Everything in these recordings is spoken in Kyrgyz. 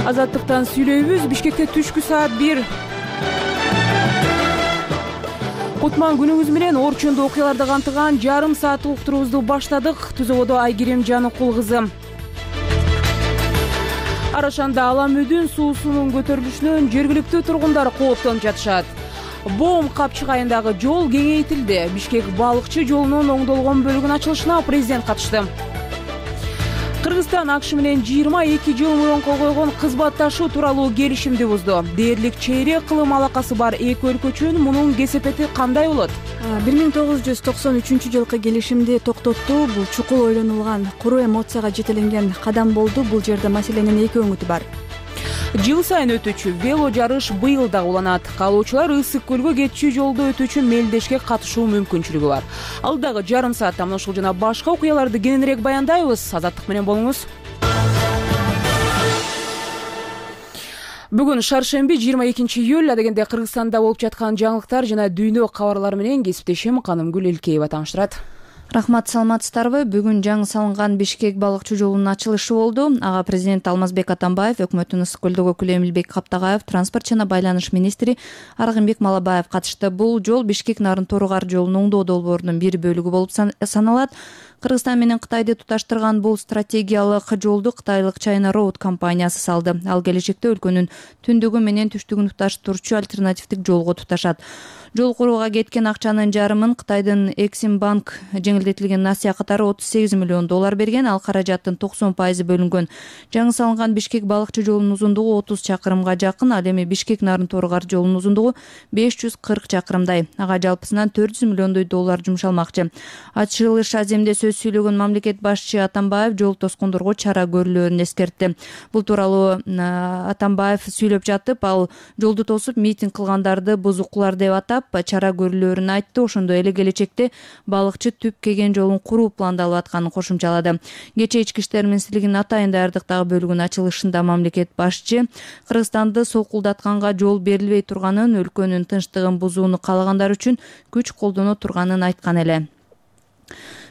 Азаттыктан сүйлөйбүз. Бишкекте түшкү саат 1. Кутман күнүңүз менен орчундуу окуяларды камтыган жарым сааттык уктуруубузду баштадык. Түзөгөдө Айгерим Жаныкул кызы. Арашанда Аламөдүн суусунун көтөрүлүшүнөн жергиликтүү тургундар кооптонуп жатышат. Бом капчыгайындагы жол кеңейтилди. Бишкек балыкчы жолунун оңдолгон бөлүгүнүн ачылышына президент катышты. Кыргызстан АКШ менен 22 жыл мурун кол койгон кызматташуу тууралуу келишимди бузду. Дээрлик чейрек кылым алакасы бар эки өлкө үчүн мунун кесепети кандай болот? 1993 жылкы келишимди токтоттуу. Бул чукул ойлонулган, куру эмоцияга жетеленген кадам болду. Бул жерде маселенин эки өңүтү бар. Жыл сайын өтүүчү вело жарыш быйыл да уланат. Каалоочулар Ысык көлгө кетчү жолду өтүүчү мелдешке катышуу мүмкүнчүлүгү бар. Алдагы жарым саатта мына ушул жана башка окуяларды кененирээк баяндайбыз. Азаттык менен болуңуз. Бүгүн шаршемби 22 июль. Дегенде Кыргызстанда болуп жаткан жаңылыктар жана дүйнө кабарлары менен кесиптешим Канымгүл Элкеева тааныштырат. Рахмат, саламатсыздарбы? Бүгүн жаңы салынган Бишкек балыкчы жолунун ачылышы болду. Ага президент Алмазбек Атамбаев, өкмөттүн Ысык көлдөгү өкүлү Эмилбек Каптагаев, транспорт жана байланыш министри Аргынбек Малабаев катышты. Бул жол Бишкек Нарын-Торugар жолунун оңдоо долбоорунун бир бөлүгү болуп саналат. Кыргызстан менен Кытайды туташтырган бул стратегиялык жолду кытайлык China Road компаниясы салды. Ал келечекте өлкөнүн түндүгү менен түштүгүн туташтыруучу альтернативдик жолго туташат. Жол курууга кеткен акчанын жарымын Кытайдын Эксимбанк жеңилдетилген насыя катары $38 миллион берген. Ал каражаттын 90% бөлүнгөн. Жаңы салынган Бишкек балыкчы жолунун узундугу 30 чакырымга жакын, ал эми Бишкек Нарын-Торugар жолунун узундугу 540 чакырымдай. Ага жалпысынан $400 миллион жумшалмакчы. Ачылыш аземде сөз сүйлөгөн мамлекет башчы Атамбаев жол тоскондорго чара көрүлөөрүн эскертти. Бул тууралуу Атамбаев сүйлөп жатып, ал жолду тосуп митинг кылгандарды бузукулар деп атап, чара көрүлөөрүн айтты. Ошондой эле келечекте балыкчы түп кеген жолун куруу пландалып атканын кошумчалады. Кечээ Ички иштер министрлигинин атайын даярдыктагы бөлүгүнүн ачылышында мамлекет башчы Кыргызстанды сокулдатканга жол берилбей турганын, өлкөнүн тынчтыгын бузууну каалагандар үчүн күч колдоно турганын айткан эле.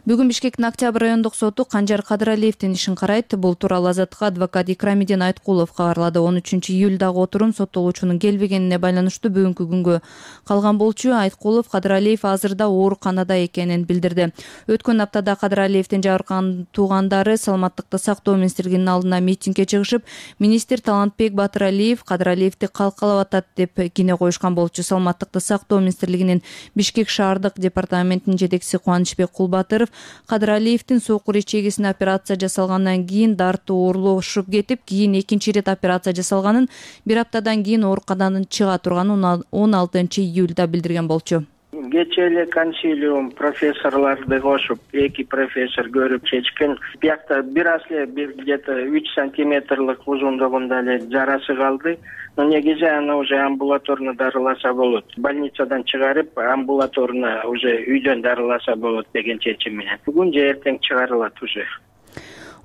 Бүгүн Бишкектин Октябрь райондук соту Канжар Кадыралиевдин ишин карайт. Бул тууралуу Азаттыкка адвокат Икрамидин Айткулов кабарлады. 13 июлдагы отурум соттолуучунун келбегенине байланыштуу бүгүнкү күнгө калган болчу. Айткулов Кадыралиев азырда ооруканада экенин билдирди. Өткөн аптада Кадыралиевдин жабыркаган туугандары саламаттыкты сактоо министрлигинин алдына митингге чыгышып, министр Талантбек Батыралиев Кадыралиевди калкалап атат деп кине коюшкан болчу. Саламаттыкты сактоо министрлигинин Бишкек шаардык департаментинин жетекчиси Кубанычбек Кулбатыров Кадыралиевдин сокур ичегисине операция жасалгандан кийин дартуу оорлошуп кетип, кийин экинчи ирет операция жасалганын, бир аптадан кийин ооруканадан чыга турганын 16 июлда билдирген болчу. Кечээ эле консилиум профессорлорду кошуп, эки профессор көрүп чечкен. Биякта бир аз эле бир где-то 3 сантиметрлык узундугунда эле жарасы калды. Но негизи аны уже амбулаторно дарыласа болот. Больницадан чыгарып, амбулаторно уже үйдөн дарыласа болот деген чечим менен. Бүгүн же эртең чыгарылат уже.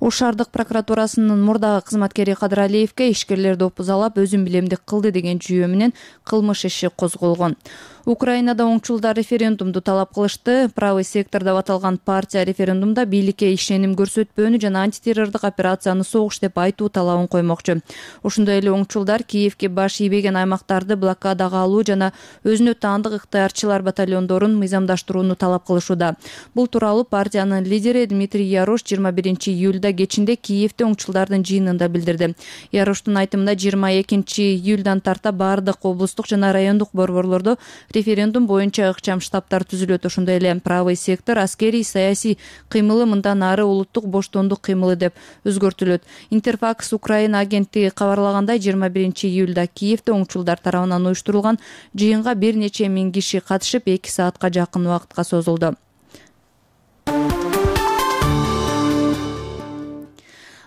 Ош шаардык прокуратурасынын мурдагы кызматкери Кадыралиевге ишкерлерди опузалап, өзүн билемдик кылды деген жүйө менен кылмыш иши козголгон. Украинада оңчулдар референдумду талап кылышты. Правый сектор деп аталган партия референдумда бийликке ишеним көрсөтпөөнү жана антитеррордук операцияны согуш деп айтуу талабын коймокчу. Ошондой эле оңчулдар Киевге баш ийбеген аймактарды блокадага алуу жана өзүнө таандык ыктыярчылар батальондорун мыйзамдаштырууну талап кылышууда. Бул тууралуу партиянын лидери Дмитрий Ярош 21 июлда кечинде Киевде оңчулдардын жыйынында билдирди. Яроштун айтымында 22 июлдан тарта бардык облустук жана райондук борборлордо референдум боюнча ыкчам штабтар түзүлөт. Ошондой эле правый сектор аскерий саясий кыймылы мындан ары улуттук боштондук кыймылы деп өзгөртүлөт. Интерфакс Украина агенттиги кабарлагандай 21 июлда Киевде оңчулдар тарабынан уюштурулган жыйынга бир нече миң киши катышып, 2 саатка жакын убакытка созулду.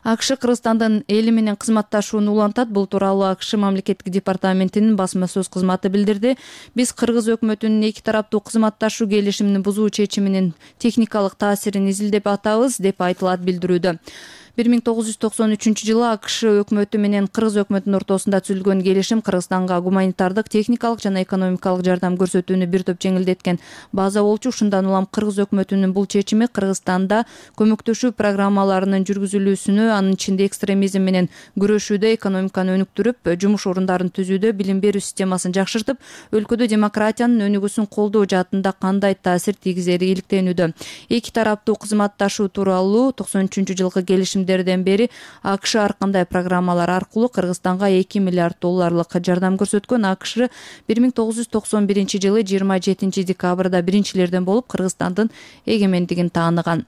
АКШ Кыргызстандын эли менен кызматташууну улантат. Бул тууралуу АКШ мамлекеттик департаментинин басма сөз кызматы билдирди. Биз Кыргыз өкмөтүнүн эки тараптуу кызматташуу келишимин бузуу чечиминин техникалык таасирин изилдеп атабыз деп айтылат билдирүүдө. 1993-жылы АКШ өкмөтү менен Кыргыз өкмөтүнүн ортосунда түзүлгөн келишим Кыргызстанга гуманитардык, техникалык жана экономикалык жардам көрсөтүүнү бир топ жеңилдеткен база болчу. Ушундан улам Кыргыз өкмөтүнүн бул чечими Кыргызстанда көмөктөшүү программаларынын жүргүзүлүүсүнө, анын ичинде экстремизм менен күрөшүүдө, экономиканы өнүктүрүп, жумуш орундарын түзүүдө, билим берүү системасын жакшыртып, өлкөдө демократиянын өнүгүүсүн колдоо жаатында кандай таасир тийгизери иликтенүүдө. Эки тараптуу кызматташуу тууралуу 93-жылкы келишимдерден бери АКШ ар кандай программалар аркылуу Кыргызстанга $2 миллиард жардам көрсөткөн. АКШ 1991-жылы 27 декабрда биринчилерден болуп Кыргызстандын эгемендигин тааныган.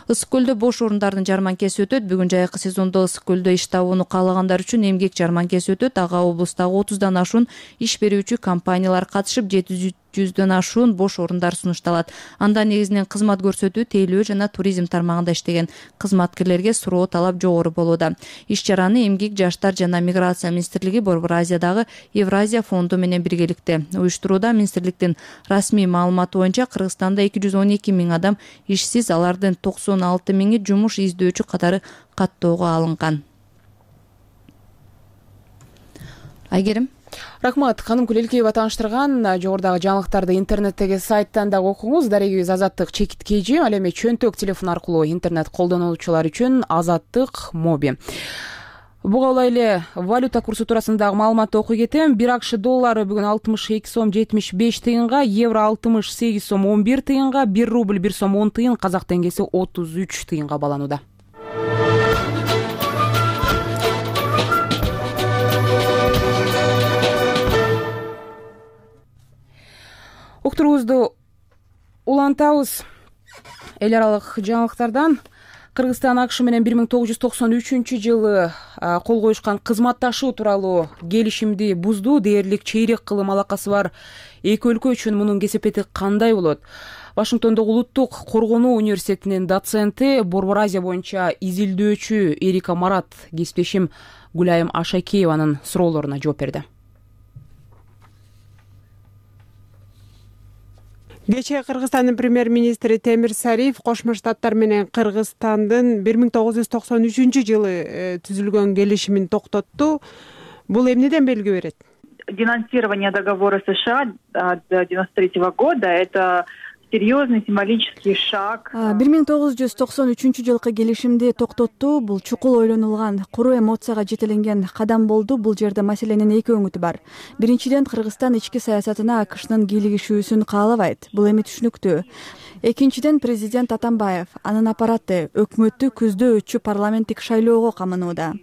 Ысык көлдө бош орундардын жарманкеси өтөт. Бүгүн жайкы сезондо ысык көлдө иш табууну каалагандар үчүн эмгек жарманкеси өтөт. Ага облустагы 30дан ашуун иш берүүчү компаниялар катышып, 700дөн ашуун бош орундар сунушталат. Анда негизинен кызмат көрсөтүү, тейлөө жана туризм тармагында иштеген кызматкерлерге суроо талап жогору болууда. Иш чараны эмгек, жаштар жана миграция министрлиги Борбор Азиядагы Евразия фонду менен биргеликте уюштурууда. Министрликтин расмий маалыматы боюнча Кыргызстанда 212 000 адам ишсиз, алардын 96 000 жумуш издөөчү катары каттоого алынган. Айгерим. Рахмат. Канымкүл Элкеева тааныштырган. Жогорудагы жаңылыктарды интернеттеги сайттан дагы окуңуз. Дарегибиз Азаттык чекиткейжи. Ал эми чөнтөк телефон аркылуу интернет колдонуучулар үчүн Азаттык моби. Буга улай эле валюта курсу туурасындагы маалыматты окуй кетем. Бир АКШ доллары бүгүн 62 сом 75 тыйынга, евро 68 сом 11 тыйынга, 1 рубль 1 сом 10 тыйын, казак теңгеси 33 тыйынга баланууда. Уктуруубузду улантабыз. Эл аралык жаңылыктардан. Кыргызстан АКШ менен 1993-жылы кол коюшкан кызматташуу тууралуу келишимди бузду. Дээрлик чейрек кылым алакасы бар эки өлкө үчүн мунун кесепети кандай болот? Вашингтондогу Улуттук коргонуу университетинин доценти, Борбор Азия боюнча изилдөөчү Эрика Марат кесиптешим Гүлайым Ашакееванын суроолоруна жооп берди. Кечээ Кыргызстандын премьер-министри Темир Сариев Кошмо Штаттар менен Кыргызстандын 1993-жылы түзүлгөн келишимин токтотту. Бул эмнеден белги берет? Денонсирование договора США 1993 года — это серьезный символический шаг. 1993-жылкы келишимди токтоттуу. Бул чукул ойлонулган, куру эмоцияга жетеленген кадам болду. Бул жерде маселенин эки өңүтү бар. Биринчиден, Кыргызстан ички саясатына АКШнын кийлигишүүсүн каалабайт. Бул эми түшүнүктүү. Экинчиден, президент Атамбаев, анын аппараты өкмөттү күздө өтчү парламенттик шайлоого камынууда.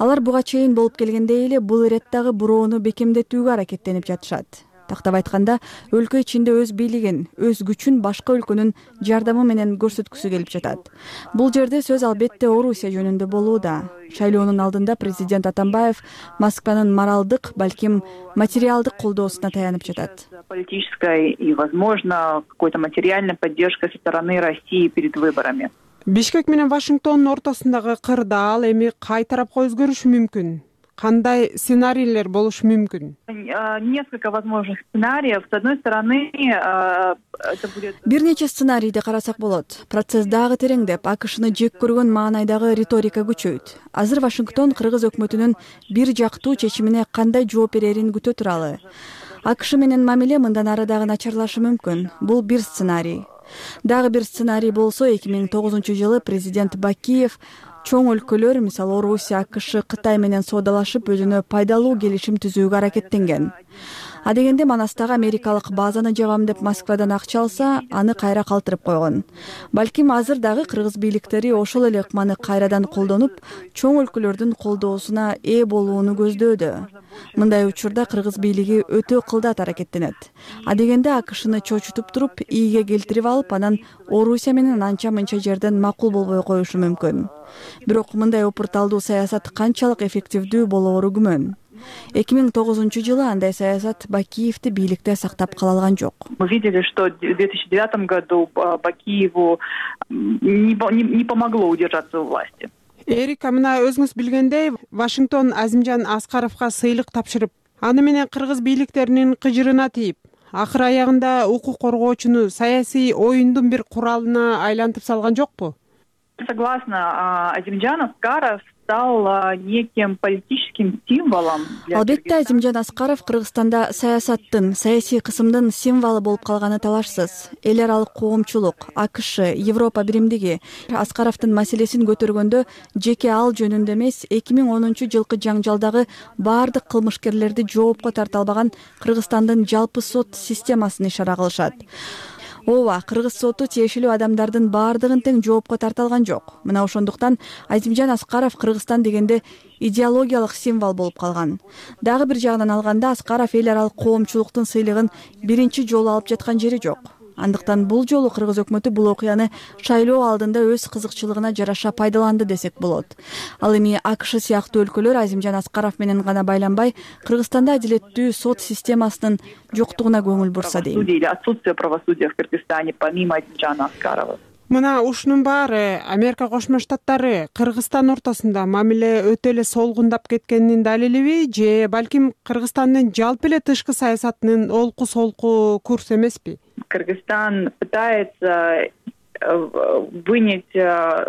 Алар буга чейин болуп келгендей эле бул иреттагы буроону бекемдетүүгө аракеттенип жатышат. Тактап айтканда, өлкө ичинде өз бийлигин, өз күчүн башка өлкөнүн жардамы менен көрсөткүсү келип жатат. Бул жерде сөз албетте Орусия жөнүндө болууда. Шайлоонун алдында президент Атамбаев Москванын моралдык, балким материалдык колдоосуна таянып жатат. Политическая и, возможно, какой-то материальная поддержка со стороны России перед выборами. Бишкек менен Вашингтондун ортосундагы кырдаал эми кай тарапка өзгөрүшү мүмкүн? Кандай сценарийлер болушу мүмкүн? Несколько возможных сценариев. С одной стороны, это будет... Бир нече сценарийди карасак болот. Процесс дагы тереңдеп, АКШны жек көргөн маанайдагы риторика күчөйт. Азыр Вашингтон Кыргыз өкмөтүнүн бир жактуу чечимине кандай жооп берерин күтө туралы. АКШ менен мамиле мындан ары дагы начарлашы мүмкүн. Бул бир сценарий. Дагы бир сценарий болсо, 2009-жылы президент Бакиев чоң өлкөлөр, мисалы Орусия, АКШ, Кытай менен соодалашып, өзүнө пайдалуу келишим түзүүгө аракеттенген. Адегенде Манастагы америкалык базаны жабам деп Москвадан акча алса, аны кайра калтырып койгон. Балким азыр дагы кыргыз бийликтери ошол эле ыкманы кайрадан колдонуп, чоң өлкөлөрдүн колдоосуна ээ болууну көздөөдө. Мындай учурда кыргыз бийлиги өтө кылдат аракеттенет. Адегенде АКШны чочутуп туруп, ийге келтирип алып, анан Орусия менен анча-мынча жерден макул болбой коюшу мүмкүн. Бирок мындай опурталдуу саясат канчалык эффективдүү болоору күмөн. 2009-жылы андай саясат Бакиевди бийликте сактап кала алган жок. Мы видели, что в 2009 году Бакиеву не помогло удержаться у власти. Эрика, мына өзүңүз билгендей, Вашингтон Азимжан Аскаровго сыйлык тапшырып, аны менен кыргыз бийликтеринин кыжырына тийип, акыр аягында укук коргоочуну саясий оюндун бир куралына айлантып салган жокпу? Согласна, Азимжан Аскаров стал неким политическим символом. Албетте, Азимжан Аскаров Кыргызстанда саясаттын, саясий кысымдын символу болуп калганы талашсыз. Эл аралык коомчулук, АКШ, Европа биримдиги Аскаровдун маселесин көтөргөндө жеке ал жөнүндө эмес, 2010-жылкы жаңжалдагы баардык кылмышкерлерди жоопко тарта албаган Кыргызстандын жалпы сот системасын ишара кылышат. Ооба, Кыргыз соту тиешелүү адамдардын баардыгын тең жоопко тарта алган жок. Мына ошондуктан Азимжан Аскаров Кыргызстан дегенде идеологиялык символ болуп калган. Дагы бир жагынан алганда Аскаров эл аралык коомчулуктун сыйлыгын биринчи жолу алып жаткан жери жок. Андыктан бул жолу Кыргыз өкмөтү бул окуяны шайлоо алдында өз кызыкчылыгына жараша пайдаланды десек болот. Ал эми АКШ сыяктуу өлкөлөр Азимжан Аскаров менен гана байланбай, Кыргызстанда адилеттүү сот системасынын жоктугуна көңүл бурса дейм. Отсутствие правосудия в Кыргызстане помимо Азимжана Аскарова. Мына ушунун баары Америка Кошмо Штаттары Кыргызстан ортосунда мамиле өтө эле солгундап кеткенинин далилиби, же балким Кыргызстандын жалпы эле тышкы саясатынын олку солку курс эмеспи? Кыргызстан пытается вынять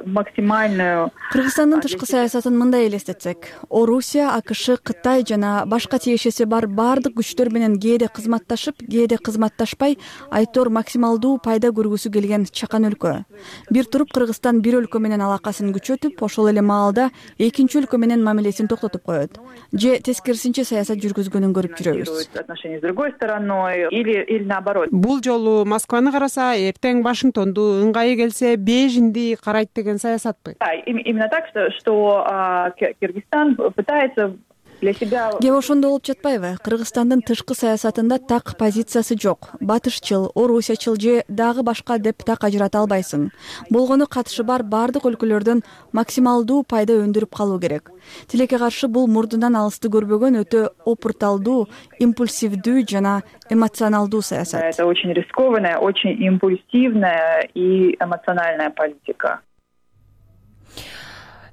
максимальную. Кыргызстандын тышкы саясатын мындай элестетсек, Орусия, АКШ, Кытай жана башка тиешеси бар баардык күчтөр менен кээде кызматташып, кээде кызматташпай, айтор максималдуу пайда көргүсү келген чакан өлкө. Бир туруп Кыргызстан бир өлкө менен алакасын күчөтүп, ошол эле маалда экинчи өлкө менен мамилесин токтотуп коет. Же тескерисинче саясат жүргүзгөнүн көрүп жүрөбүз. Отношения с другой стороной или наоборот. Бул жолу Москваны караса, эртең Вашингтонду ыңгайы келсе Бейжиңди карайт деген саясатпы? Именно так, что Кыргызстан пытается для себя. Кеп ошондо болуп жатпайбы? Кыргызстандын тышкы саясатында так позициясы жок. Батышчыл, орусиячыл же дагы башка деп так ажырата албайсың. Болгону катышы бар баардык өлкөлөрдөн максималдуу пайда өндүрүп калуу керек. Тилекке каршы бул мурдунан алысты көрбөгөн өтө опурталдуу, импульсивдүү жана эмоционалдуу саясат. Это очень рискованная, очень импульсивная и эмоциональная политика.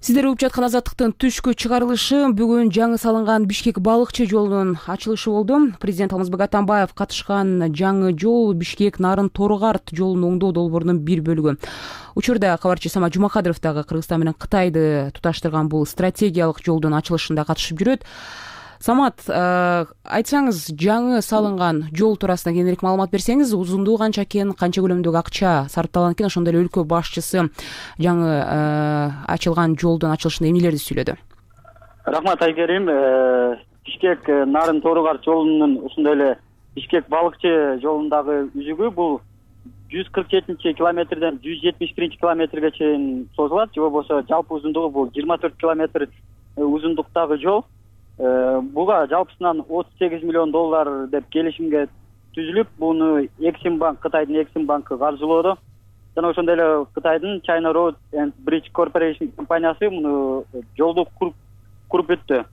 Сиздер угуп жаткан Азаттыктын түшкү чыгарылышы бүгүн жаңы салынган Бишкек балыкчы жолунун ачылышы болду. Президент Алмазбек Атамбаев катышкан жаңы жол Бишкек Нарын Торгарт жолун оңдоо долбоорунун бир бөлүгү. Учурда кабарчы Самат Жумакадыров дагы Кыргызстан менен Кытайды туташтырган бул стратегиялык жолдун ачылышында катышып жүрөт. Самат, айтсаңыз, жаңы салынган жол туурасында кененирээк маалымат берсеңиз, узундугу канча экен, канча көлөмдөгү акча сарпталган экен, ошондой эле өлкө башчысы жаңы ачылган жолдун ачылышында эмнелерди сүйлөдү? Рахмат, Айгерим. Бишкек Нарын Торгарт жолунун ушундай эле Бишкек балыкчы жолундагы үзүгү бул 147 километрден 171 километрге чейин созулат, же болбосо жалпы узундугу бул 24 километр узундуктагы жол. Буга жалпысынан $38 миллион деп келишимге түзүлүп, буну Эксимбанк, Кытайдын Эксимбанкы каржылоодо. Жана ошондой эле Кытайдын China Road and Bridge Corporation компаниясы муну жолду куруп өттү.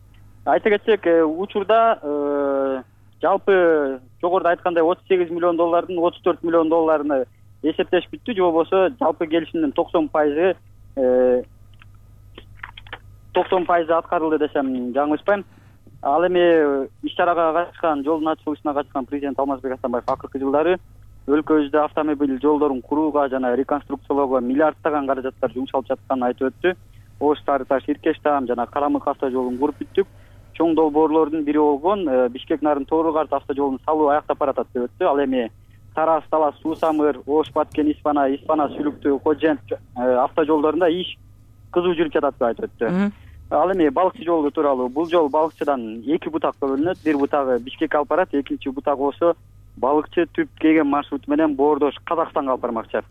Айта кетсек, учурда жалпы жогоруда айткандай $38 миллион 34 миллион эсептеш бүттү, же болбосо жалпы келишимдин 90% аткарылды десем жаңылышпайм. Ал эми иш-чарага катышкан, жолдун ачылышына катышкан президент Алмазбек Атамбаев акыркы жылдары өлкөбүздө автомобиль жолдорун курууга жана реконструкциялоого миллиарддаган каражаттар жумшалып жатканын айтып өттү. Ош Сары Таш Иркеш Таам жана Карамык автожолун куруп бүттүк. Чоң долбоорлордун бири болгон Бишкек Нарын Торгарт автожолунун салуу аяктап баратат деп өттү. Ал эми Тарас Талас Суу Самыр, Ош Баткен Испана Сүлүктүү Кожент автожолдорунда иш кызуу жүрүп жатат деп айтып өттү. Ал эми балыкчы жолу тууралуу, бул жол балыкчыдан эки бутакка бөлүнөт. Бир бутагы Бишкекке алып барат, экинчи бутак болсо балыкчы түп кеген маршруту менен Боордош Казакстанга алып бармакчы.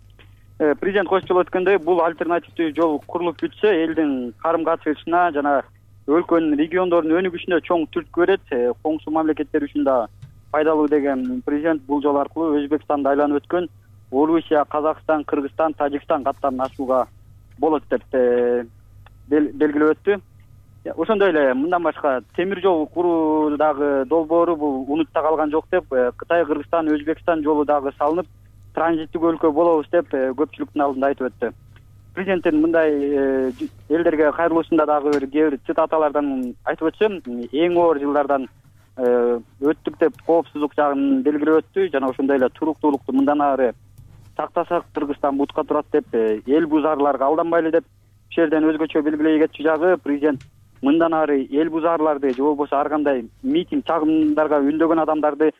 Президент кошчол өткөндөй, бул альтернативдүү жол курулуп бүтсө, элдин карым-катышына жана өлкөнүн региондордун өнүгүшүнө чоң түрткү берет, коңшу мамлекеттер үчүн да пайдалуу деген президент бул жол аркылуу Өзбекстанды айланып өткөн Орусия, Казакстан, Кыргызстан, Тажикстан каттарын ачууга болот деп белгилеп өттү. Ошондой эле мындан башка темир жол куруудагы долбоору бул унутта калган жок деп, Кытай, Кыргызстан, Өзбекстан жолу дагы салынып, транзиттик өлкө болобуз деп көпчүлүктүн алдында айтып өттү. Президенттин мындай элдерге кайрылуусунда дагы кээ бир цитаталардан айтып өтсөм, эң оор жылдардан өттүк деп коопсуздук жагын белгилеп өттү жана ошондой эле туруктуулукту мындан ары сактасак Кыргызстан бутка турат деп эл бузарларга алданбайлы деп ушул жерден өзгөчө белгилей кетчү жагы президент мындан ары эл бузарларды же болбосо ар кандай митинг чагымдарга үндөгөн адамдарды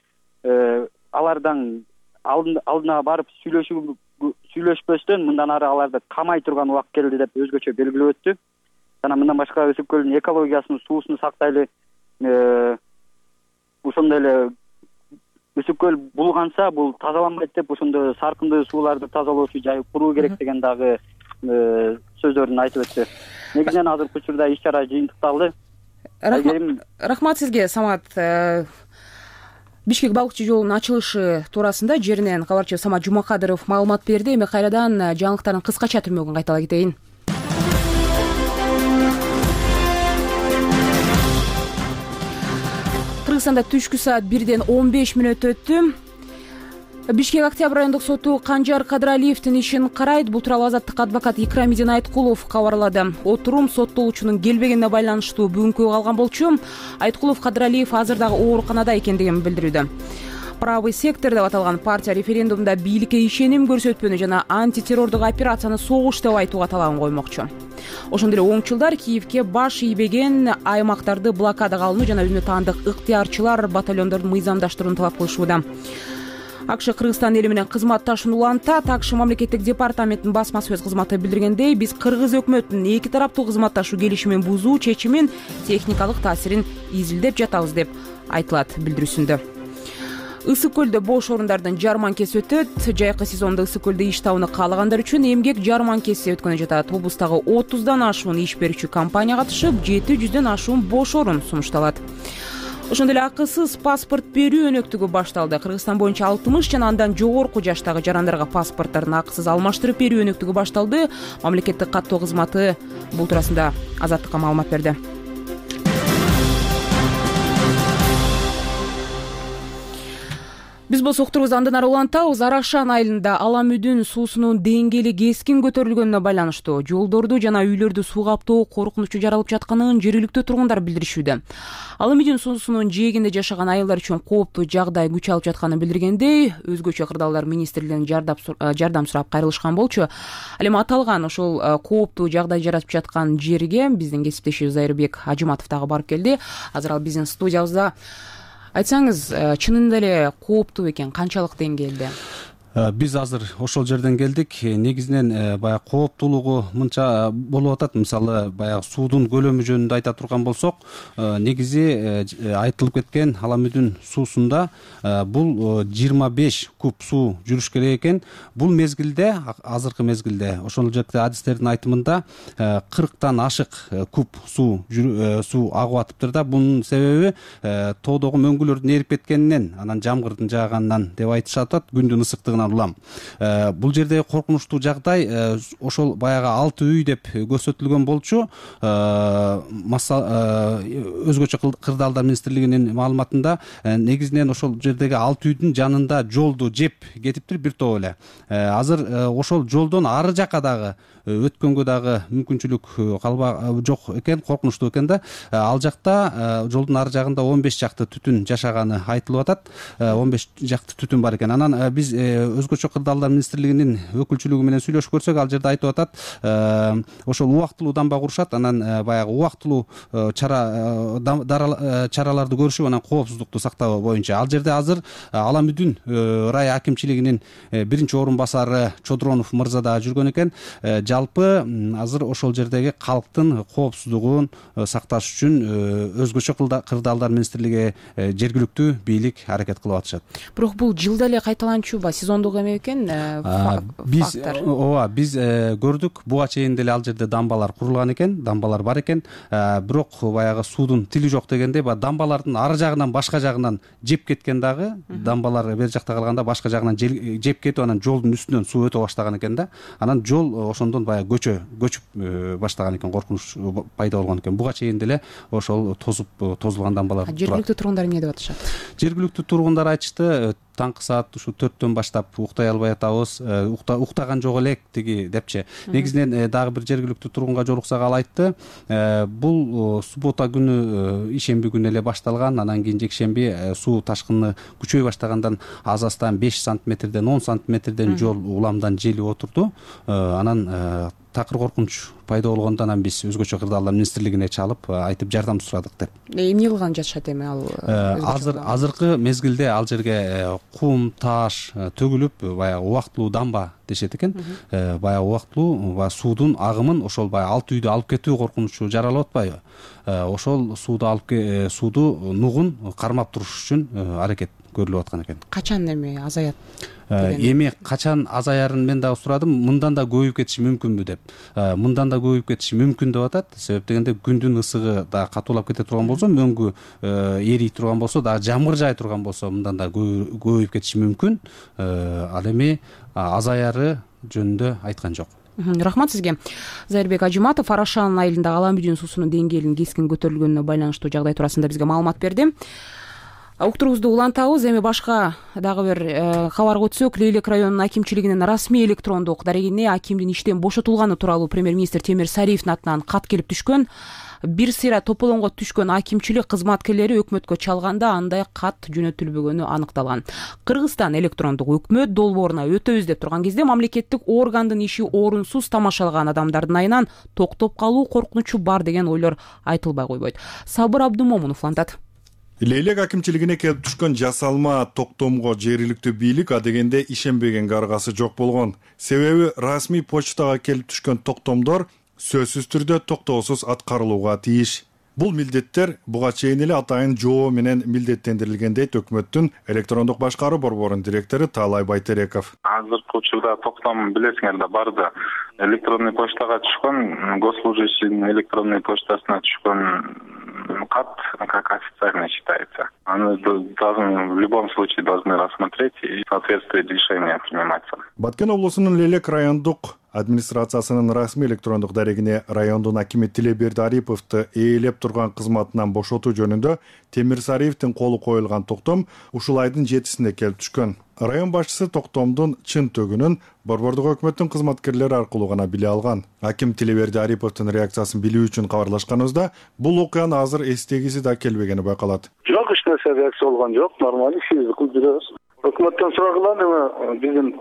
алардан алдына барып сүйлөшпөстөн мындан ары аларды камай турган убакыт келди деп өзгөчө белгилеп өттү. Жана мындан башка Ысык көлдүн экологиясын, суусун сактайлы, ошондой эле Ысык көл булганса бул тазаланбайт деп ошондой саркындуу сууларды тазалоочу жай куруу керек деген дагы сөздөрүн айтып өттү. Негизинен азыркы учурда иш-чара жыйынтыкталды. Рахмат сизге, Самат. Бишкек балыкчы жолунун ачылышы туурасында жеринен кабарчы Самат Жумакадыров маалымат берди. Эми кайрадан жаңылыктардын кыскача түрмөгүн кайтала кетейин. Кыргызстанда түшкү саат 1:15 өттү. Бишкек Октябрь райондук соту Канжар Кадралиевдин ишин карайт. Бул тууралуу Азаттык адвокат Икрамидин Айткулов кабарлады. Отурум соттолуучунун келбегенине байланыштуу бүгүнкү калган болчу. Айткулов Кадралиев азыр дагы ооруканада экендигин билдирүүдө. Правый сектор деп аталган партия референдумда бийликке ишеним көрсөтпөнү жана антитеррордук операцияны согуш деп айтууга талабын коймокчу. Ошондой эле оңчулдар Киевке баш ийбеген аймактарды блокадага алууну жана өзүнө таандык ыктыярчылар батальондордун мыйзамдаштырууну талап кылышууда. АКШ Кыргызстан эли менен кызматташууну улантат. АКШ мамлекеттик департаментинин басма сөз кызматы билдиргендей, биз Кыргыз өкмөтүнүн эки тараптуу кызматташуу келишимин бузуу чечимин техникалык таасирин изилдеп жатабыз деп айтылат билдирүүсүндө. Ысык көлдө бош орундардын жарманкеси өтөт. Жайкы сезондо Ысык көлдө иш табууну каалагандар үчүн эмгек жарманкеси өткөнү жатат. Облустагы 30дан ашуун иш берүүчү компания катышып, 700дөн ашуун бош орун сунушталат. Ошондой эле акысыз паспорт берүү өнөктүгү башталды. Кыргызстан боюнча 60 жана андан жогорку жаштагы жарандарга паспортторун акысыз алмаштырып берүү өнөктүгү башталды. Мамлекеттик каттоо кызматы бул туурасында Азаттыкка маалымат берди. Биз болсо уктурубузду андан ары улантабыз. Арашан айылында Аламүдүн суусунун деңгээли кескин көтөрүлгөнүнө байланыштуу жолдорду жана үйлөрдү суу каптоо коркунучу жаралып жатканын жергиликтүү тургундар билдиришүүдө. Аламүдүн суусунун жээгинде жашаган айылдар үчүн кооптуу жагдай күч алып жатканын билдиргендей, өзгөчө кырдаалдар министрлигинен жардам сурап кайрылышкан болчу. Ал эми аталган ошол кооптуу жагдай жаратып жаткан жерге биздин кесиптешибиз Зайырбек Ажыматов дагы барып келди. Азыр ал биздин студиябызда. Айтсаңыз, чынында эле кооптуу экен, канчалык деңгээлде? Биз азыр ошол жерден келдик. Негизинен баягы кооптуулугу мынча болуп атат. Мисалы, баягы суудун көлөмү жөнүндө айта турган болсок, негизи айтылып кеткен Аламүдүн суусунда бул 25 куб суу жүрүш керек экен. Бул мезгилде, азыркы мезгилде, ошол жерде адистердин айтымында 40тан ашык куб суу агып атыптыр да. Бунун себеби тоодогу мөңгүлөрдүн эрип кеткенинен, анан жамгырдын жааганынан деп айтышат. Күндүн ысыктыгынан улам. Бул жерде коркунучтуу жагдай ошол баягы 6 үй деп көрсөтүлгөн болчу. Өзгөчө кырдаалдар министрлигинин маалыматында негизинен ошол жердеги 6 үйдүн жанында жолду жеп кетиптир бир топ эле. Азыр ошол жолдон ары жака дагы өткөнгө дагы мүмкүнчүлүк жок экен, коркунучтуу экен да. Ал жакта жолдун ары жагында 15 жакты түтүн жашаганы айтылып атат. 15 жакты түтүн бар экен. Анан биз өзгөчө кырдаалдар министрлигинин өкүлчүлүгү менен сүйлөшүп көрсөк, ал жерде айтып атат, ошол убактылуу дамба курушат, анан баягы убактылуу чараларды көрүшүп, анан коопсуздукту сактоо боюнча. Ал жерде азыр Аламүдүн рай акимчилигинин биринчи орун басары Чодронов мырза да жүргөн экен. Жалпы азыр ошол жердеги калктын коопсуздугун сакташ үчүн өзгөчө кырдаалдар министрлиги, жергиликтүү бийлик аракет кылып атышат. Бирок бул жылда эле кайталанчубу, сезондук эме экен? Биз көрдүк, буга чейин деле ал жерде дамбалар курулган экен, дамбалар бар экен. Бирок баягы суудун тили жок дегенде, дамбалардын ары жагынан башка жагынан жеп кеткен дагы, дамбалар бер жакта калганда башка жагынан жеп кетип, анан жолдун үстүнөн суу өтө баштаган экен да. Анан жол ошондон баягы көчүп баштаган экен, коркунуч пайда болгон экен. Буга чейин деле ошол тозулган дамбалар. Жергиликтүү тургундар эмне деп атышат? Жергиликтүү тургундар айтышты, таңкы саат ушу 4-төн баштап уктай албай атабыз, уктаган жок элек тиги депчи. Негизинен дагы бир жергиликтүү тургунга жолуксак ал айтты, бул суббота күнү ишемби күнү эле башталган, анан кийин жекшемби суу ташкыны күчөй баштагандан азастан 5 сантиметрден 10 сантиметрден жол уламдан желип отурду. Анан такыр коркунуч пайда болгондо анан биз өзгөчө кырдаалдар министрлигине чалып айтып жардам сурадык деп. Эмне кылган жатышат эми ал? Азыркы мезгилде ал жерге кум, таш төгүлүп, баягы убактылуу дамба дешет экен. Баягы убактылуу суудун агымын ошол баягы алты үйдү алып кетүү коркунучу жаралып атпайбы? Ошол сууду нугун кармап туруш үчүн аракет көрүлүп аткан экен. Качан эми азаят? Эми качан азаярын мен дагы сурадым. Мындан да көбөйүп кетиши мүмкүнбү деп. Мындан да көбөйүп кетиши мүмкүн деп атат. Себеп дегенде күндүн ысыгы да катуулап кете турган болсо, мөңгү эрий турган болсо, дагы жамгыр жай турган болсо, мындан да көбөйүп кетиши мүмкүн. Ал эми азаяры жөнүндө айткан жок. Рахмат сизге. Зайырбек Ажиматов Арашан айылындагы Ала Мүдүн суусунун деңгээлинин кескин көтөрүлгөнүнө байланыштуу жагдай туурасында бизге маалымат берди. Уктуруубузду улантабыз. Эми башка дагы бир кабарга өтсөк, Лейлек районунун акимчилигинин расмий электрондук дарегине акимдин иштен бошотулганы тууралуу премьер-министр Темир Сариевдин атынан кат келип түшкөн. Бир сыйра тополоңго түшкөн акимчилик кызматкерлери өкмөткө чалганда андай кат жөнөтүлбөгөнү аныкталган. Кыргызстан электрондук өкмөт долбооруна өтөбүз деп турган кезде мамлекеттик органдын иши орунсуз тамашалаган адамдардын айынан токтоп калуу коркунучу бар деген ойлор айтылбай койбойт. Сабыр Абдумомунов улантат. Лейлек акимчилигине келип түшкөн жасалма токтомго жергиликтүү бийлик адегенде ишенбеген каргасы жок болгон. Себеби расмий почтага келип түшкөн токтомдор сөзсүз түрдө токтоосуз аткарылууга тийиш. Бул милдеттер буга чейин эле атайын жоо менен милдеттендирилген дейт өкмөттүн электрондук башкаруу борборунун директору Таалай Байтереков. Азыркы учурда токтом билесиңер да барды. Электронный почтага түшкөн, госслужащийдин электронный почтасына түшкөн кат как официально считается. Они в любом случае должны рассмотреть и в соответствии решения приниматься. Баткен облусунун Лейлек райондук администрациясынын расмий электрондук дарегине райондун акими Тилеберди Ариповду ээлеп турган кызматынан бошотуу жөнүндө Темир Сариевдин колу коюлган токтом ушул айдын 7-синде келип түшкөн. Район башчысы токтомдун чын төгүнүн борбордук өкмөттүн кызматкерлери аркылуу гана биле алган. Аким Тилеберди Ариповдун реакциясын билүү үчүн кабарлашканыбызда бул окуянын азыр эстегиси да келбегени байкалат. Жок, эч нерсе реакция болгон жок, нормалдуу ишибизди кылып жүрөбүз. Өкмөттөн сурагыла эми биздин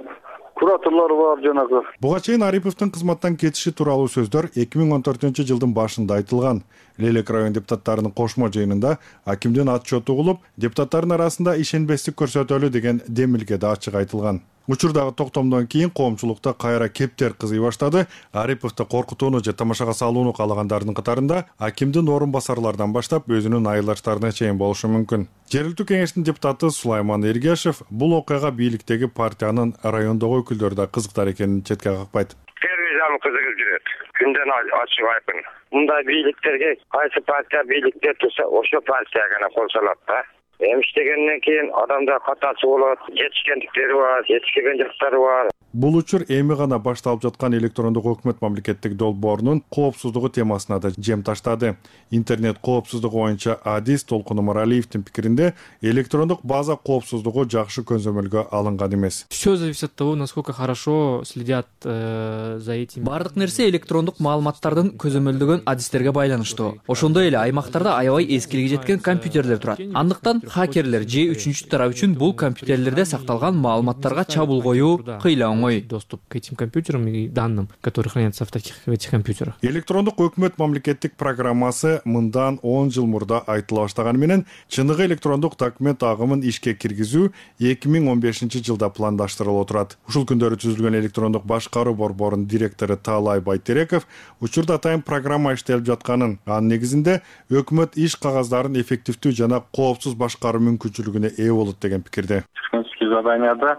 кураторлор бар жанагы. Буга чейин Ариповдун кызматтан кетиши тууралуу сөздөр 2014-жылдын башында айтылган. Лейлек район депутаттарынын кошмо жыйынында акимдин отчету угулуп, депутаттардын арасында ишенбестик көрсөтөлү деген демилге да ачык айтылган. Учурдагы токтомдон кийин коомчулукта кайра кептер кызый баштады. Ариповду коркутууну же тамашага салууну каалагандардын катарында акимдин орун басарлардан баштап өзүнүн айылдаштарына чейин болушу мүмкүн. Жергиликтүү кеңештин депутаты Сулайман Эргешев бул окуяга бийликтеги партиянын райондогу өкүлдөрү да кызыктар экенин четке какпайт. Тервизам кызыгып жүрөт. Күндөн ачык айкын. Мындай бийликтерге кайсы партия бийликте турса, ошо партия гана кол салат да. Эми иштегенден кийин адамда катасы болот, жетишкендиктери бар, жетишпеген жактары бар. Бул учур эми гана башталып жаткан электрондук өкмөт мамлекеттик долбоорунун коопсуздугу темасына да жем таштады. Интернет коопсуздугу боюнча Адис Толкун Умаралиевдин пикиринде электрондук база коопсуздугу жакшы көзөмөлгө алынган эмес. Всё зависит от того, насколько хорошо следят за этим. Бардык нерсе электрондук маалыматтардын көзөмөлдөгөн адистерге байланыштуу. Ошондой эле аймактарда аябай эскилиги жеткен компьютерлер турат. Андыктан хакерлер же үчүнчү тарап үчүн бул компьютерлерде сакталган маалыматтарга чабуул коюу кыйла оңой. Доступ к этим компьютерам и данным, которые хранятся в этих компьютерах. Электрондук өкмөт мамлекеттик программасы мындан 10 жыл мурда айтыла баштаганы менен чыныгы электрондук документ агымын ишке киргизүү 2015-жылда пландаштырылып турат. Ушул күндөрү түзүлгөн электрондук башкаруу борборунун директору Таалай Байтереков учурда атайын программа иштелип жатканын, анын негизинде өкмөт иш кагаздарын эффективдүү жана коопсуз башкаруу мүмкүнчүлүгүнө ээ болот деген пикирде. Технические заданияда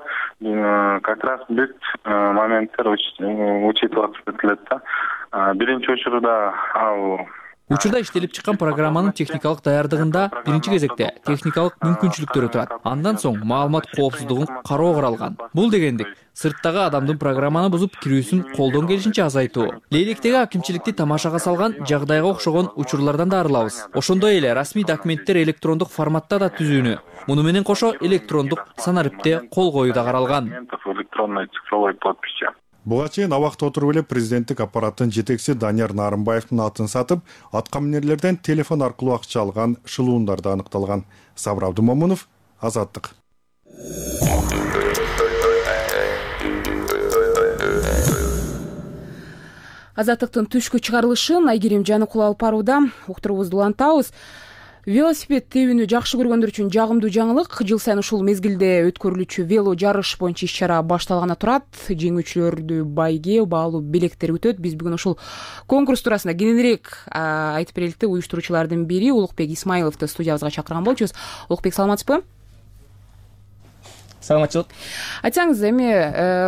как раз бүт моменттер учитываться этилет да. Биринчи учурда ал Учурда иштелип чыккан программанын техникалык даярдыгында биринчи кезекте техникалык мүмкүнчүлүктөрү турат. Андан соң маалымат коопсуздугун кароо каралган. Бул дегендик сырттагы адамдын программаны бузуп кирүүсүн колдон келишинче азайтуу. Лейлектеги акимчиликти тамашага салган жагдайга окшогон учурлардан да арылабыз. Ошондой эле расмий документтер электрондук форматта да түзүүнү. Муну менен кошо электрондук санариптте кол коюу да каралган. Буга чейин абакта отуруп эле президенттик аппараттын жетекчиси Данияр Нарымбаевдин атын сатып, атка минерлерден телефон аркылуу акча алган шылуундарда аныкталган. Сабыр Абдымомунов, Азаттык. Азаттыктын түшкү чыгарылышын Айгерим Жаныкул алып барууда. Уктурубузду улантабыз. Велосипед тебүүнү жакшы көргөндөр үчүн жагымдуу жаңылык. Жыл сайын ушул мезгилде өткөрүлүүчү вело жарыш боюнча иш-чара башталганы турат. Жеңүүчүлөрдү байге баалуу белектер күтөт. Биз бүгүн ушул конкурс туурасында кененирээк айтып берелик деп уюштуруучулардын бири Улукбек Исмаиловду студиябызга чакырган болчубуз. Улукбек, саламатсызбы? Саламатчылык. Айтсаңыз, эми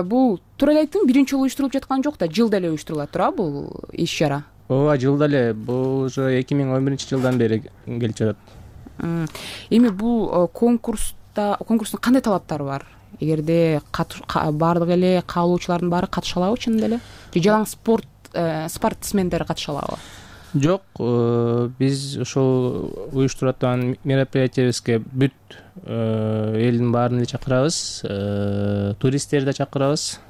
бул туура эле айттым, биринчи жолу уюштурулуп жаткан жок да, жылда эле уюштурулат туурабы бул иш-чара? Ооба, жылда эле. Бул уже 2011-жылдан бери келип жатат. Эми бул конкурстун кандай талаптары бар? Эгерде баардык эле каалоочулардын баары катыша алабы чынында эле? Же жалаң спортсмендер катыша алабы? Жок, биз ошол уюштуруп аткан мероприятиябизге бүт элдин баарын эле чакырабыз, туристтерди да чакырабыз.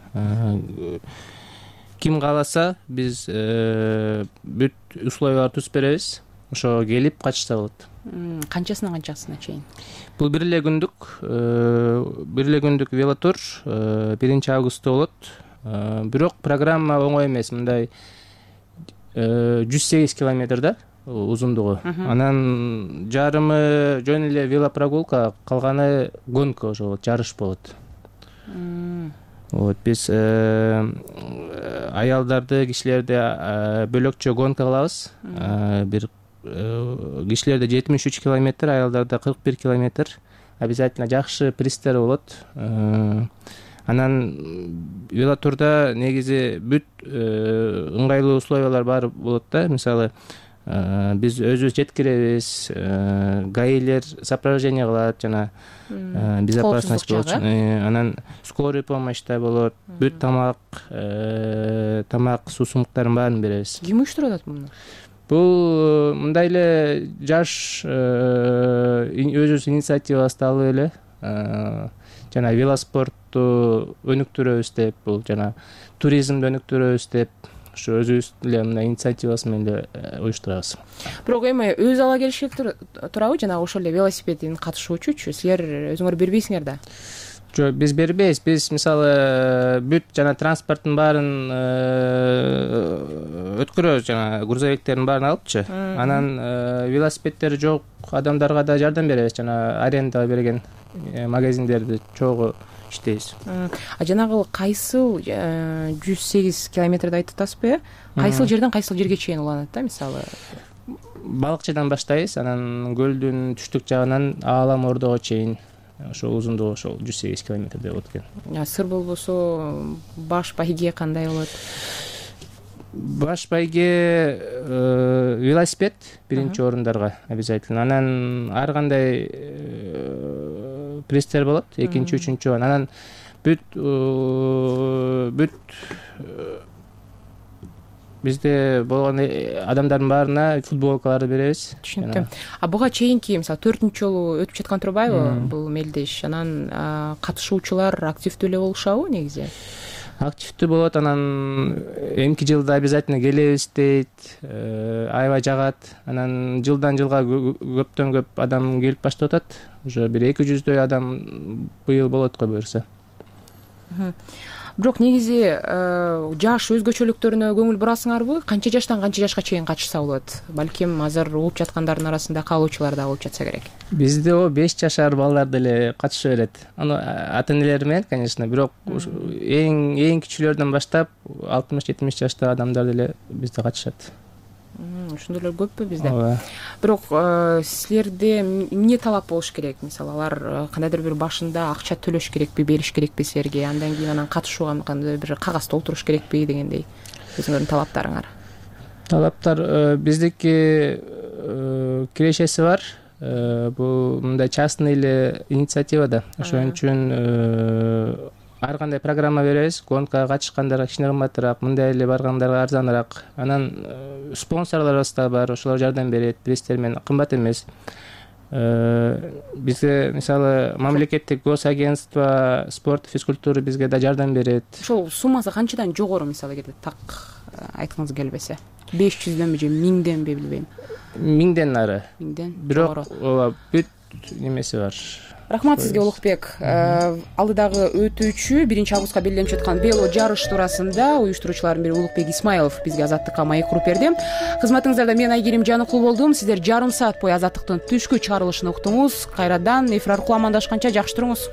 Ким кааласа, биз бүт условияларды түзүп беребиз. Ошо келип катышса болот. Канчасынан канчасына чейин? Бул бир эле күндүк велотур 1-августта болот. Бирок программа оңой эмес. Мындай 108 километр да узундугу. Анан жарымы жөн эле велопрогулка, калганы гонка, ошо жарыш болот. Вот, биз аялдарды, кишилерди бөлөкчө гонка кылабыз. Бир кишилерде 73 километр, аялдарда 41 километр. Обязательно жакшы пристер болот. Анан велотурда негизи бүт ыңгайлуу условиялар бар болот да. Мисалы, биз өзүбүз жеткиребиз, гаилер сопровождение кылат, жана безопасность болот. Анан скорый помощь да болот, бүт тамак, суу сумктарын баарын беребиз. Ким уюштурат муну? Бул мындай эле жаш өзүбүз инициативабызды алып эле жана велоспортту өнүктүрөбүз деп, бул жана туризмди өнүктүрөбүз деп, ошо өзүбүз эле мындай инициативабыз менен эле уюштурабыз. Бирок эми өз ала келиш керек турабы, жана ошол эле велосипедин катышуучучу силер өзүңөр бербейсиңер да? Жок, биз бербейбиз. Биз мисалы бүт жана транспорттун баарын өткөрөбүз, жана грузовиктердин баарын алыпчы. Анан велосипедтери жок адамдарга да жардам беребиз, жана арендага берген магазиндерди чогуу иштейбиз. Жанагы кайсыл 108 километрди айтып атасызбы? Кайсыл жерден кайсыл жерге чейин уланат да, мисалы? Балыкчыдан баштайбыз, анан көлдүн түштүк жагынан Аалам Ордого чейин. Ошол узундугу ошол 108 километрдей болот экен. Сыр болбосо баш байге кандай болот? Баш байге велосипед биринчи орундарга обязательно. Анан ар кандай пристер болот, экинчи, үчүнчү. Анан бүт бизде болгон адамдардын баарына футболкаларды беребиз. Түшүнүктүм. Буга чейинки, мисалы, 4-үнчү жолу өтүп жаткан турбайбы бул мелдеш? Анан катышуучулар активдүү эле болушабы негизи? Активдүү болот. Анан эмки жылда обязательно келебиз дейт, аябай жагат. Анан жылдан жылга көптөн көп адам келип баштап атат. Уже бир 200дөй адам быйыл болот го буюрса. Бирок негизи жаш өзгөчөлүктөрүнө көңүл бурасыңарбы? Канча жаштан канча жашка чейин катышса болот? Балким азыр угуп жаткандардын арасында каалоочулар да болуп жатса керек. Бизде 5 жашар балдар деле катыша берет. Аны ата-энелер менен, конечно, бирок эң кичүүлөрдөн баштап 60-70 жаштагы адамдар деле бизде катышат. Ошондойлор көппү бизде? Бирок силерде эмне талап болуш керек? Мисалы, алар кандайдыр бир башында акча төлөш керекпи, бериш керекпи силерге? Андан кийин анан катышууга кандайдыр бир кагаз толтуруш керекпи дегендей өзүңөрдүн талаптарыңар? талаптар биздики кирешеси бар. Бул мындай частный эле инициатива да. Ошон үчүн ар кандай программа беребиз. Гонкага катышкандарга кичине кымбатыраак, мындай эле баргандарга арзаныраак. Анан спонсорлорубуз да бар, ошолор жардам берет. Билесиздер менен кымбат эмес. Бизге мисалы мамлекеттик госагентство спорт физкультура бизге да жардам берет. Ошол суммасы канчадан жогору, мисалы эгерде так айткыңыз келбесе? 500дөнбү же 1000денби билбейм. 1000ден ары. 1000ден. Бирок ооба бүт немеси бар. Рахмат сизге, Улукбек. Алдыдагы өтүүчү 1-августка белгиленип жаткан вело жарыш туурасында уюштуруучулардын бири Улукбек Исмаилов бизге Азаттыкка маек куруп берди. Кызматыңыздарда мен Айгерим Жаныкул болдум. Сиздер жарым саат бою Азаттыктын түшкү чыгарылышын уктуңуз. Кайрадан эфир аркылуу амандашканча жакшы туруңуз.